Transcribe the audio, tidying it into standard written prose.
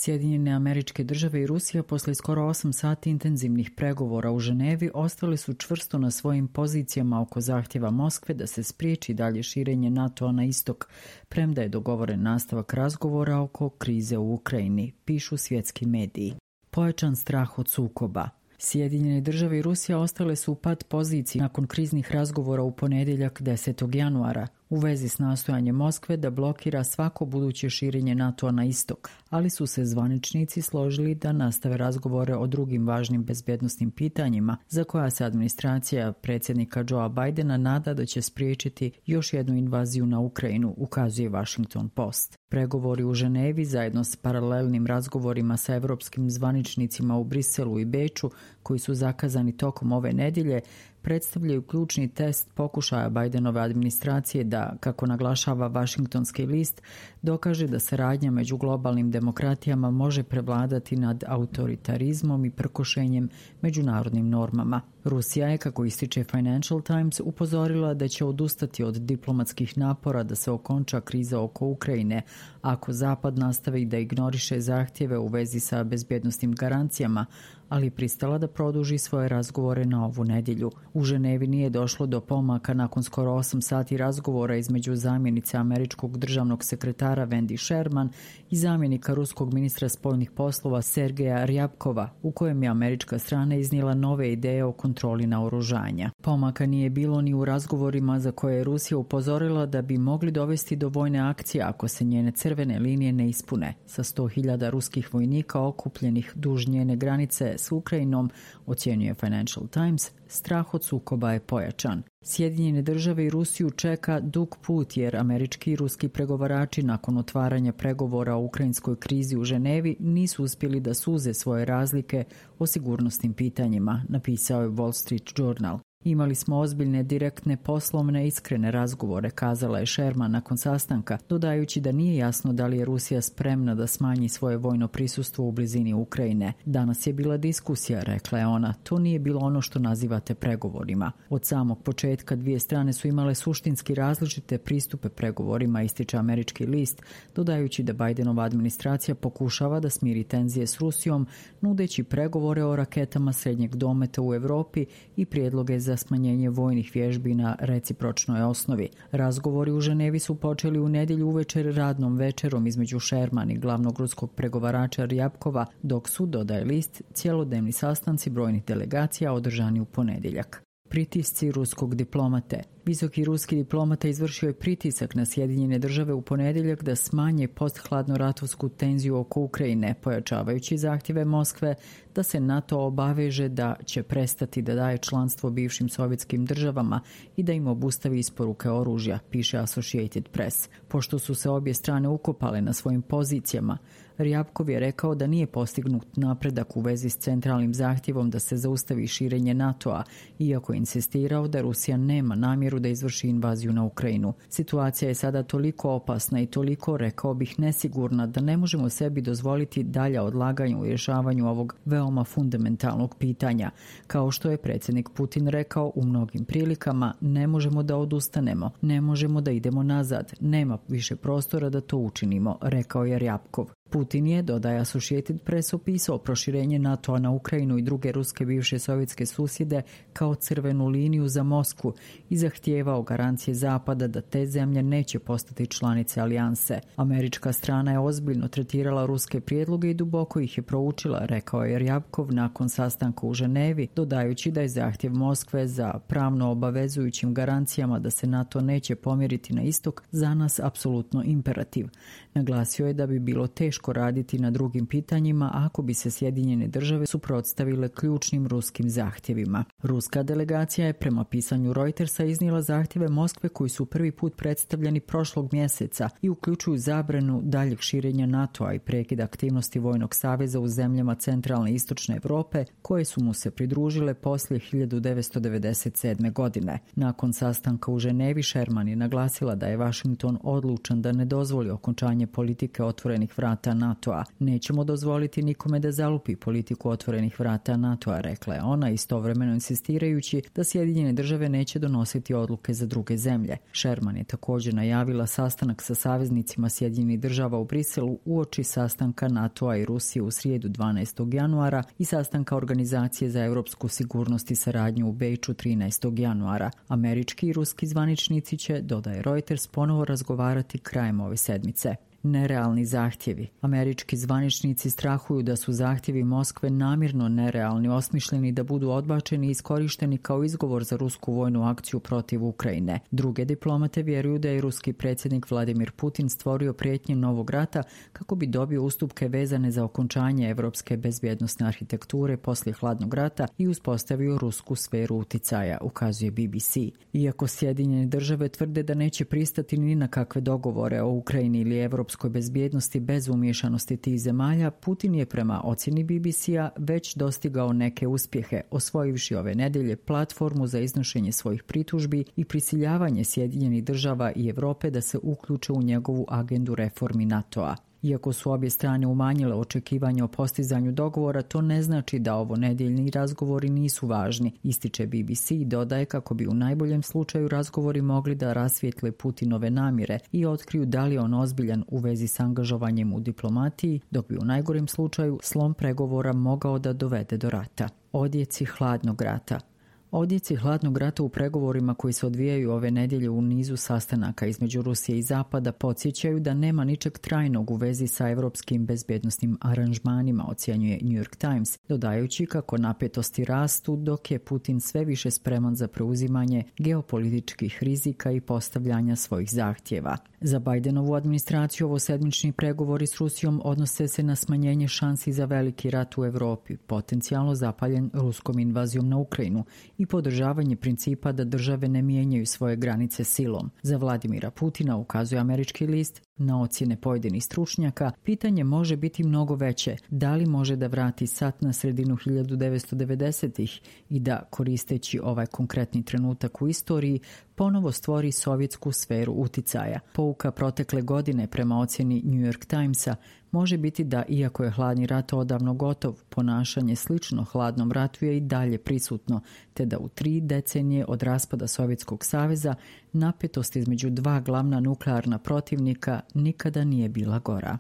Sjedinjene Američke Države i Rusija posle skoro 8 sati intenzivnih pregovora u Ženevi ostali su čvrsto na svojim pozicijama oko zahtjeva Moskve da se spriječi dalje širenje NATO-a na istok, premda je dogovoren nastavak razgovora oko krize u Ukrajini, pišu svjetski mediji. Pojačan strah od sukoba. Sjedinjene Države i Rusija ostale su u pad poziciji nakon kriznih razgovora u ponedjeljak 10. januara u vezi s nastojanjem Moskve da blokira svako buduće širenje NATO-a na istok, ali su se zvaničnici složili da nastave razgovore o drugim važnim bezbjednosnim pitanjima za koja se administracija predsjednika Joea Bidena nada da će spriječiti još jednu invaziju na Ukrajinu, ukazuje Washington Post. Pregovori u Ženevi zajedno s paralelnim razgovorima sa evropskim zvaničnicima u Briselu i Beču, koji su zakazani tokom ove nedjelje, predstavljaju ključni test pokušaja Bidenove administracije da, kako naglašava Washingtonski list, dokaže da saradnja među globalnim demokratijama može prevladati nad autoritarizmom i prkošenjem međunarodnim normama. Rusija je, kako ističe Financial Times, upozorila da će odustati od diplomatskih napora da se okonča kriza oko Ukrajine ako Zapad nastavi da ignoriše zahtjeve u vezi sa bezbjednosnim garancijama, ali pristala da produži svoje razgovore na ovu nedjelju. U Ženevi nije došlo do pomaka nakon skoro 8 sati razgovora između zamjenice američkog državnog sekretara Wendy Sherman i zamjenika ruskog ministra spoljnih poslova Sergeja Ryabkova, u kojem je američka strana iznijela nove ideje o kontroli naoružanja. Pomaka nije bilo ni u razgovorima za koje je Rusija upozorila da bi mogli dovesti do vojne akcije ako se njene crvene linije ne ispune. Sa 100.000 ruskih vojnika okupljenih duž njene granice s Ukrajinom, ocjenjuje Financial Times, strah od sukoba je pojačan. Sjedinjene Države i Rusiju čeka dug put jer američki i ruski pregovarači nakon otvaranja pregovora o ukrajinskoj krizi u Ženevi nisu uspjeli da suze svoje razlike o sigurnosnim pitanjima, napisao je Wall Street Journal. Imali smo ozbiljne, direktne, poslovne, iskrene razgovore, kazala je Sherman nakon sastanka, dodajući da nije jasno da li je Rusija spremna da smanji svoje vojno prisustvo u blizini Ukrajine. Danas je bila diskusija, rekla je ona, to nije bilo ono što nazivate pregovorima. Od samog početka dvije strane su imale suštinski različite pristupe pregovorima, ističe američki list, dodajući da Bidenova administracija pokušava da smiri tenzije s Rusijom, nudeći pregovore o raketama srednjeg dometa u Europi i prijedloge za smanjenje vojnih vježbi na recipročnoj osnovi. Razgovori u Ženevi su počeli u nedjelju uvečer radnom večerom između Sherman i glavnog ruskog pregovarača Ryabkova, dok su, dodaje list, cjelodnevni sastanci brojnih delegacija održani u ponedjeljak. Pritisci ruskog diplomate. Visoki ruski diplomata izvršio je pritisak na Sjedinjene Države u ponedjeljak da smanje posthladnoratovsku tenziju oko Ukrajine, pojačavajući zahtjeve Moskve da se NATO obaveže da će prestati da daje članstvo bivšim sovjetskim državama i da im obustavi isporuke oružja, piše Associated Press. Pošto su se obje strane ukopale na svojim pozicijama, Ryabkov je rekao da nije postignut napredak u vezi s centralnim zahtjevom da se zaustavi širenje NATO-a, iako je insistirao da Rusija nema namjeru da izvrši invaziju na Ukrajinu. Situacija je sada toliko opasna i toliko, rekao bih, nesigurna da ne možemo sebi dozvoliti dalja odlaganja u rješavanju ovog veoma fundamentalnog pitanja. Kao što je predsjednik Putin rekao u mnogim prilikama, ne možemo da odustanemo, ne možemo da idemo nazad, nema više prostora da to učinimo, rekao je Ryabkov. Putin je, dodaje Associated Press, opisao proširenje NATO-a na Ukrajinu i druge ruske bivše sovjetske susjede kao crvenu liniju za Moskvu i zahtijevao garancije Zapada da te zemlje neće postati članice alijanse. Američka strana je ozbiljno tretirala ruske prijedloge i duboko ih je proučila, rekao je Ryabkov nakon sastanka u Ženevi, dodajući da je zahtjev Moskve za pravno obavezujućim garancijama da se NATO neće pomjeriti na istok za nas apsolutno imperativ. Naglasio je da bi bilo teško raditi na drugim pitanjima ako bi se Sjedinjene Države suprotstavile ključnim ruskim zahtjevima. Ruska delegacija je prema pisanju Reutersa iznijela zahtjeve Moskve koji su prvi put predstavljeni prošlog mjeseca i uključuju zabranu daljeg širenja NATO-a i prekid aktivnosti vojnog saveza u zemljama centralne i istočne Europe koje su mu se pridružile poslije 1997. godine. Nakon sastanka u Ženevi, Sherman je naglasila da je Washington odlučan da ne dozvoli okončanje politike otvorenih vrata vrata NATO-a. Nećemo dozvoliti nikome da zalupi politiku otvorenih vrata NATO-a, rekla je ona, istovremeno insistirajući da Sjedinjene države neće donositi odluke za druge zemlje. Sherman je također najavila sastanak sa saveznicima Sjedinjenih država u Briselu uoči sastanka NATO-a i Rusije u srijedu 12. januara i sastanka Organizacije za europsku sigurnost i saradnju u Beču 13. januara. Američki i ruski zvaničnici će, dodaje Reuters, ponovo razgovarati krajem ove sedmice. Nerealni zahtjevi. Američki zvaničnici strahuju da su zahtjevi Moskve namjerno nerealni, osmišljeni da budu odbačeni i iskorišteni kao izgovor za rusku vojnu akciju protiv Ukrajine. Druge diplomate vjeruju da je ruski predsjednik Vladimir Putin stvorio prijetnje novog rata kako bi dobio ustupke vezane za okončanje evropske bezbjednosne arhitekture poslije hladnog rata i uspostavio rusku sferu uticaja, ukazuje BBC. Iako Sjedinjene države tvrde da neće pristati ni na kakve dogovore o Ukrajini ili evropskoj bezbjednosti bez umiješanosti tih zemalja, Putin je prema ocjeni BBC-a već dostigao neke uspjehe, osvojivši ove nedjelje platformu za iznošenje svojih pritužbi i prisiljavanje Sjedinjenih država i Europe da se uključe u njegovu agendu reformi NATO-a. Iako su obje strane umanjile očekivanja o postizanju dogovora, to ne znači da ovo nedjeljni razgovori nisu važni, ističe BBC i dodaje kako bi u najboljem slučaju razgovori mogli da rasvijetle Putinove namjere i otkriju da li je on ozbiljan u vezi s angažovanjem u diplomatiji, dok bi u najgorem slučaju slom pregovora mogao da dovede do rata. Odjeci hladnog rata. Odjeci hladnog rata u pregovorima koji se odvijaju ove nedjelje u nizu sastanaka između Rusije i Zapada podsjećaju da nema ničeg trajnog u vezi sa evropskim bezbjednosnim aranžmanima, ocjenjuje New York Times, dodajući kako napetosti rastu dok je Putin sve više spreman za preuzimanje geopolitičkih rizika i postavljanja svojih zahtjeva. Za Bidenovu administraciju ovo sedmični pregovori s Rusijom odnose se na smanjenje šansi za veliki rat u Europi, potencijalno zapaljen ruskom invazijom na Ukrajinu i podržavanje principa da države ne mijenjaju svoje granice silom. Za Vladimira Putina, ukazuje američki list, na ocjene pojedinih stručnjaka, pitanje može biti mnogo veće. Da li može da vrati sat na sredinu 1990-ih i da, koristeći ovaj konkretni trenutak u istoriji, ponovo stvori sovjetsku sferu uticaja. Pouka protekle godine prema ocjeni New York Timesa može biti da, iako je hladni rat odavno gotov, ponašanje slično hladnom ratu je i dalje prisutno, te da u 3 decenije od raspada Sovjetskog saveza napetost između dva glavna nuklearna protivnika nikada nije bila gora.